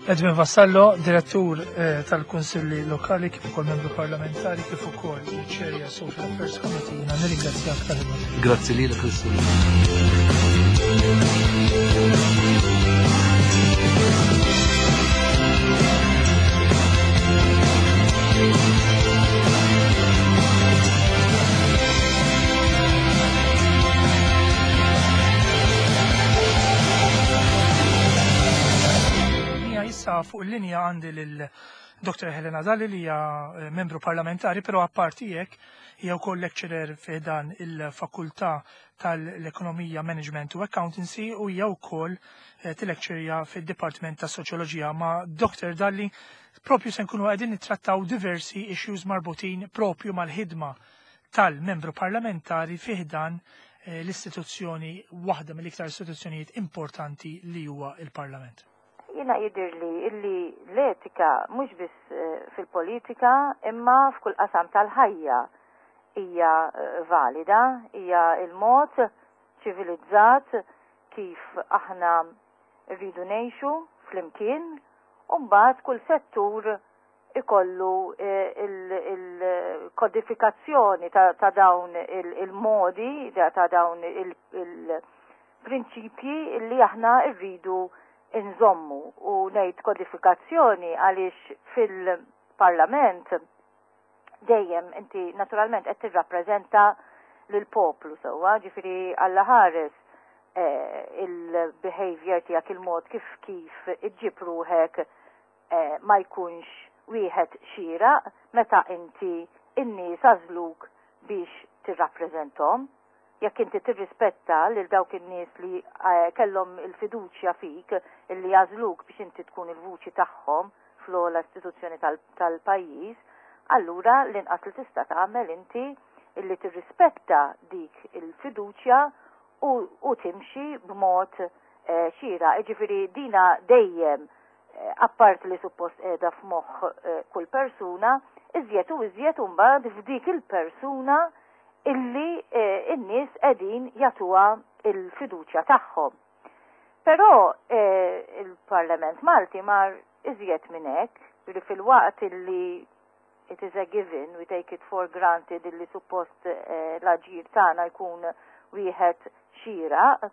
Edwin Vassallo, direttur eh, tal-Kunsilli Lokali kif ukoll membru parlamentari kif ukoll Chair Social Affairs Committee, jiena nirringrazzjak tal Grazzi lilek Kristu. Issa fuq il-linja għandi lil Dr. Helena Dalli li hija eh, membru parlamentari, però apparti hekk hija wkoll lecturer fi dan il-Fakultà tal-Ekonomija, Management u Accountancy u hija wkoll eh, tilekċerja fid-Dipartiment ta' Soċjoloġija ma' Dr. Dalli propju se nkunu qegħdin nittrattaw diversi issues marbutin propju mal-ħidma tal-membru parlamentari fi ħdan eh, l-istituzzjoni waħda mill-iktar istituzzjonijiet importanti li huwa il-Parlament. Jiena jidhirli illi l-etika mhux biss eh, fil-politika imma f'kull qasam tal-ħajja hija eh, valida, hija il-mod ċivilizzat kif aħna rridu ngħixu flimkien u mbagħad kull settur ikollu eh, il-kodifikazzjoni ta' dawn il-modi, ta' dawn il-prinċipji li aħna rridu nżommu. U ngħid kodifikazzjoni għaliex fil-parlament dejjem inti naturalment qed tirrappreżenta lill-poplu sewwa, ġifieri Alla ħares eh, il-behavior tiegħek il-mod kif kif iġġib ruħek eh, ma jkunx wieħed xieraq meta inti in-nies għażluk biex tirrappreżenthom. Jekk inti tirrispetta lil dawk in-nies li eh, kellhom il-fiduċja fik illi għażluk biex inti tkun il-vuċi tagħhom fl-ogħla istituzzjoni tal-pajjiż, allura l-inqas li tista' tagħmel inti illi tirrispetta dik il-fiduċja u, u timxi b'mod eh, xieraq. Jiġifieri dina dejjem eh, apparti li suppost qiegħda f'moħħ eh, kull persuna, iżjed u iżjed imbagħad f'dik il-persuna illi n-nies qegħdin jagħtuha il-fiduċja tagħhom. Però il-Parlament Malti mar iżjed minn hekk, li fil-waqt illi it is a given, we take it for granted illi suppost l-aġir tagħna jkun wieħed xieraq.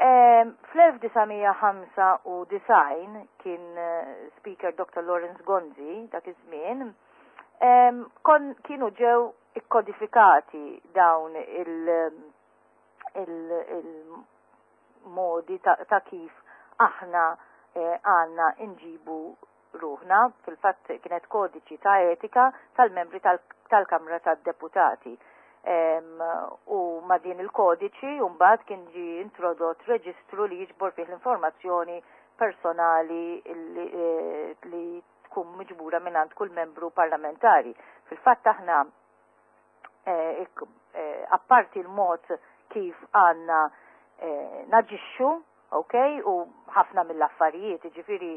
Fl-1995 kien Speaker Dr. Lawrence Gonzi dak iż-żmien, kon kienu ġew ikkodifikati dawn il-modi ta', ta kif aħna għandna nġibu ruħna, fil-fatt kienet kodiċi ta' etika tal-membri tal-Kamra tad-Deputati. U ma' din il-kodiċi mbagħad kien ġie introdott reġistru li jiġbor fih l-informazzjoni personali li, eh, li tkun miġbura mingħand kull membru parlamentari. Fil-fatt aħna eh, eh, apparti l-mod kif għandna naġixxu. Ok, u ħafna mill-affarijiet, ġifieri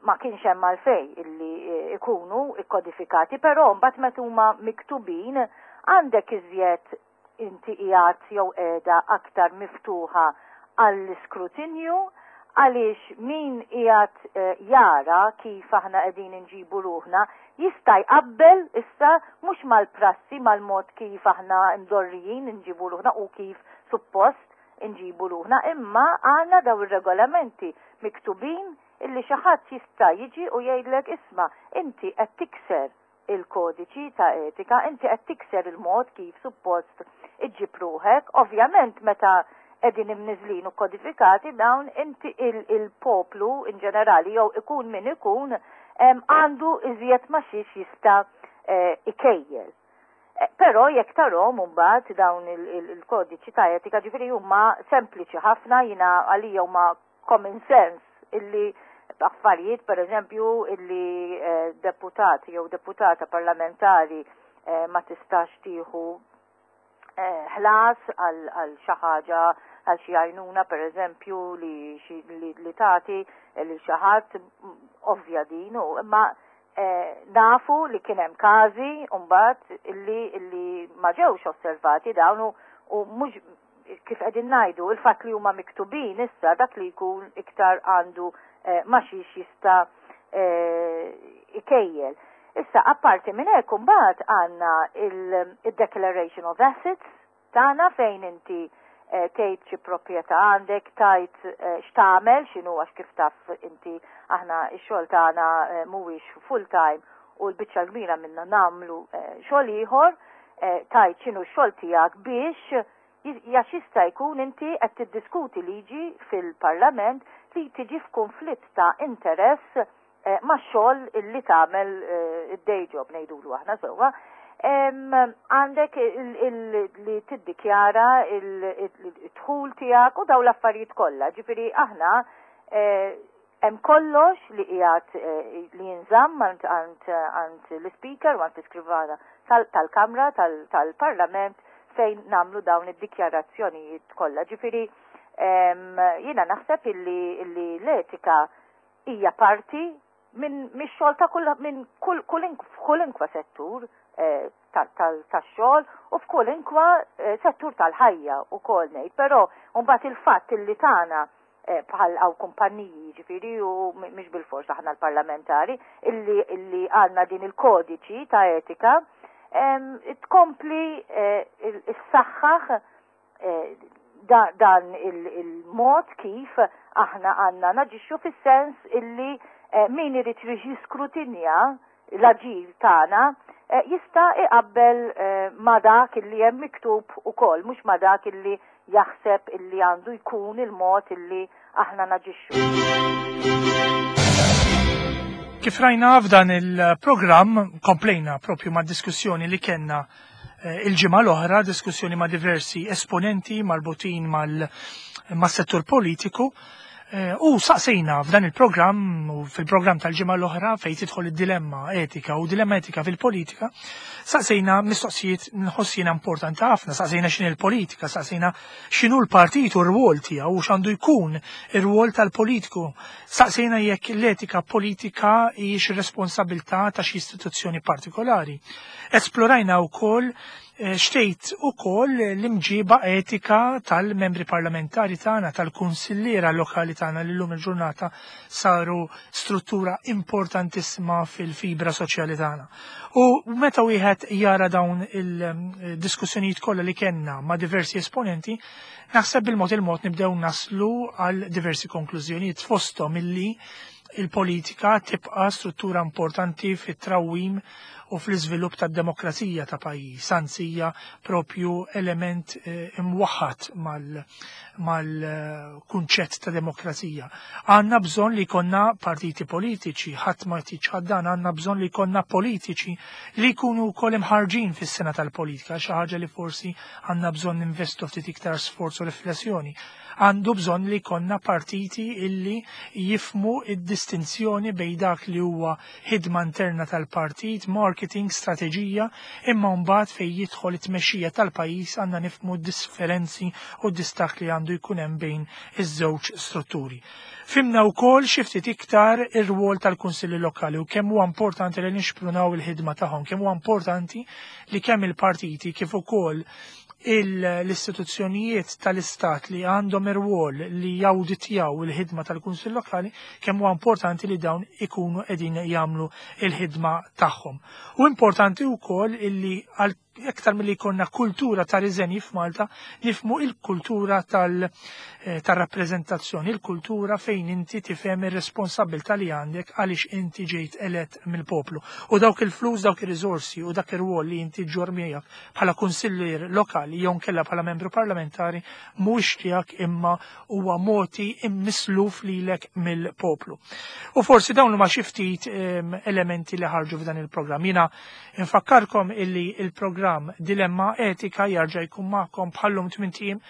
ma kienx hemm għalfejn illi ikunu ikkodifikati, però mbagħad meta huma miktubin għandek iżjed inti qiegħed jew qiegħda aktar miftuħa għall-iskrutinju, għaliex min qiegħed jara kif aħna qegħdin inġibu ruħna jista' jqabbel issa mhux mal-prassi, mal-mod kif aħna mdorrijin inġibu ruħna u kif suppost inġibu ruħna, imma għandna daw ir-regolamenti miktubin illi xi ħadd jista' jiġi u jgħidlek, "Isma', inti qed tikser il-kodiċi ta' etika, inti qed tikser il-mod kif suppost iġġib ruħek." Ovvjament, meta qegħdin imniżlin u kodifikati dawn, inti il-poplu in ġenerali, jew ikun min ikun, għandu iżjed ma xiex jista' ikejjel. Però jekk tarahom mbagħad dawn il-kodiċi ta' etika, ġifieri huma sempliċi ħafna, jiena għalija huma common sense, illi affarijiet, per eżempju, illi deputati jew deputata parlamentari ma tistax tieħu ħlas għal xi ħaġa, għal xi għajnuna, per eżempju, li tagħti lil xi ħadd, ovvja din, u imma nafu li kien hemm każi mbagħad illi ma ġewx osservati dawn u mhux kif qegħdin ngħidu, il-fatt li huma miktubin issa dak li jkun iktar għandu ma xiex jista' ikejjel. Issa, apparti minn hekk, imbagħad għandna il-Declaration of Assets tagħna fejn inti tgħid xi proprjetà għandek, tgħid x'tagħmel, x'inhu, għax kif taf inti aħna x-xogħol tagħna mhuwiex full time u l-biċċa kbira minna nagħmlu xogħol ieħor, tgħid x'inhu x-xogħol tiegħek biex għax jista' jkun inti qed tiddiskuti liġi fil-Parlament li tiġi f'konflitt ta' interess ma' xogħol illi tagħmel, id-day job ngħidulu aħna sewwa. Għandek li tiddikjara il-dħul tiegħek u daw l-affarijiet kollha. Ġifieri aħna hemm kollox li qiegħed li jinżamm għand l-Speaker u għand l-iskrivana tal-Kamra tal-Parlament fejn nagħmlu dawn id-dikjarazzjonijiet kollha. Ġifieri jiena naħseb illi l-etika hija parti minn mix-xogħol ta' kull minn kull kull settur tax-xogħol u f'kwalunkwe settur tal-ħajja ukoll ngħid, però mbagħad il-fatt illi tagħna bħal għaw kumpanniji, ġifieri, u mhix bil-fors aħna l-parlamentari illi għandna din il-kodiċi ta' etika, tkompli s-saħħaħ dan il-mod kif aħna għandna naġixxu, fis-sens illi min irid jiskrutinja l-aġir tagħna jista' iqabbel ma dak illi hemm miktub ukoll, mhux ma dak illi jaħseb illi għandu jkun il-mod illi aħna naġixxu. Kif rajna f'dan il-programm, komplejna propju ma' diskussjoni li kellna il-ġimgħa l-oħra, diskussjoni ma' diversi esponenti marbutin mal-settur politiku. U saqsejna f'dan il-programm u fil-programm tal-ġimgħa l-oħra fejn tidħol id-dilemma etika u dilemma etika fil-politika, saqsejna mistoqsijiet nħoss jiena importanti ħafna, saqsejna x'inhi l-politika, saqsejna x'inhu l-partit u r-rwol tiegħu u x'għandu jkun ir-rwol tal-politiku. Saqsejna jekk l-etika politika hijiex responsabilità ta' xi istituzzjoni partikolari. Esplorajna wkoll xtejt ukoll l-imġiba etika tal-membri parlamentari tagħna, tal-kunsilliera lokali tagħna li llum il-ġurnata saru struttura importantissima fil-fibra soċjali tagħna. U meta wieħed jara dawn il-diskussjonijiet kollha li kellna ma' diversi esponenti, naħseb bil-mod il-mod nibdew naslu għal diversi konklużjonijiet, fosthom illi il-politika tibqa' struttura importanti fit-trawwim u fl-iżvilupp tad-demokrazija ta' pajjiż, anzi hija propju element imwaħħad mal-kunċett ta' demokrazija. Għandna bżonn li jkollna partiti politiċi, ħadd ma dan, għandna bżonn li jkollna politiċi li jkunu wkoll imħarġin fis-sena tal-politika, xi ħaġa li forsi għandna bżonn investu ftit iktar sforz u riflessjoni. Għandu bżonn li jkollna partiti illi jifhmu id-distinzjoni bejn dak li huwa ħidma interna tal-partit, marketing. marketing, strateġija, imma mbagħad fejn jidħol it-tmexxija tal-pajjiż għandna nifhmu d-differenzi u d-distakk li għandu jkun hemm bejn iż-żewġ strutturi. Fhimna wkoll xi ftit iktar ir-rwol tal-kunsilli lokali u kemm huwa importanti li nixprunaw il-ħidma tagħhom, kemm huwa importanti li kemm il-partiti kif ukoll l-istituzzjonijiet tal-istat li għandhom ir-rwol li jawditjaw il-ħidma tal-Kunsill Lokali, kemm huwa importanti li dawn ikunu qegħdin jagħmlu il-ħidma tagħhom. U importanti wkoll illi għal iktar milli jkollna kultura ta' riżenji f'Malta, nifhmu il-kultura tal-rappreżentazzjoni, il-kultura fejn inti tifhem ir-responsabilità li għandek għaliex inti ġejt elett mill-poplu. U dawk il-flus, dawk ir-riżorsi u dak ir-rwol li inti ġġorr miegħek bħala kunsillier lokali jew nkella bħala membru parlamentari mhuwiex tiegħek imma huwa mogħti immisluf lilek mill-poplu. U forsi dawn huma xi ftit elementi li ħarġu f'dan il-programm. Jiena infakkarkom illi il-programm Dilemma Etika jarġa' jkun magħkom bħallum tmint ijiem.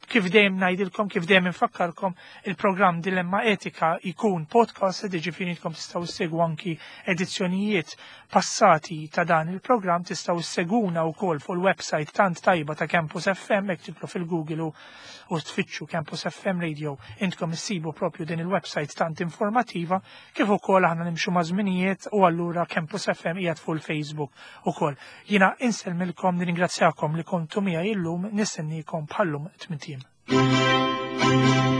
Kif dejjem ngħidilkom, kif dejjem infakkarkom, il-programm Dilemma Etika jkun podcast, jiġifieri intkom tistgħu ssegwu anki edizzjonijiet passati ta' dan il-programm, tistgħu sseguna wkoll fuq il-website tant tajba ta' Campus FM, hekk tidħlu fil-Google u tfittxu Campus FM Radio, intkom issibu propju din il-website tant informativa, kif ukoll aħna nimxu ma' żminijiet u allura Campus FM qiegħed fuq il-Facebook ukoll. Jiena insellmilkom, nirringrazzjakom li kontu miegħi illum, nistennikom bħallum tmint ijiem.